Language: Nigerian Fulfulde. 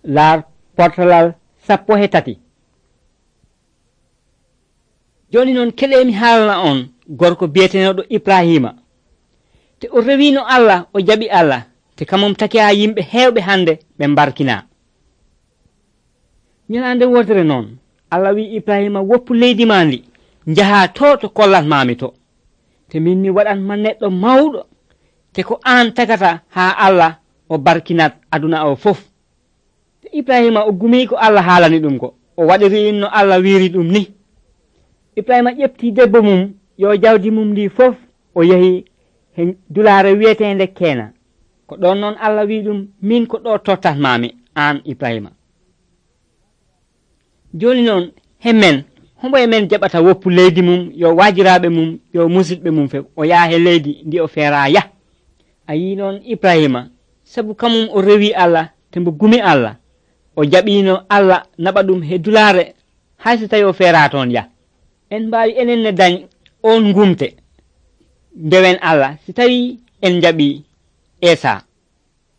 laar portalal 13. joni noon keɗemi haalana on gorko biyeteneɗo Ibrahima te o rewino Allah o jaɓi Allah te kamum taki ha yimɓe hewɓe hande ɓe barkina. ñalande wodere noon Allah wi Ibrahima woppu leydi ma ndi jaha to kollatmami to te min mi waɗanma neɗɗo mawɗo te ko an tagata ha Allah o barkinat aduna o fof. te Ibrahima o gumi ko Allah haalani ɗum ko o waɗiri no Allah wiri ɗum ni. Ibrahima ƴefti debbo mum yo jawdi mum ndi fof o yehi he dulare wiyetende Keena ko ɗon noon Allah wi ɗum min ko ɗo tottatmami an Ibrahima. joni noon hemmen hombo e men jaɓata woppu leydi mum yo wajiraɓe mum yo musidɓe mum fe o yaha he leydi ndi o feera yah. a yi noon Ibrahima sabu kamum o rewi Allah te mbo gumi Allah o jaɓino Allah naɓa ɗum he dulare hayso tawi o feera toon yah. en mbawi enen ne dañ on gumte ndewen Allah si tawi en jaɓi Esa.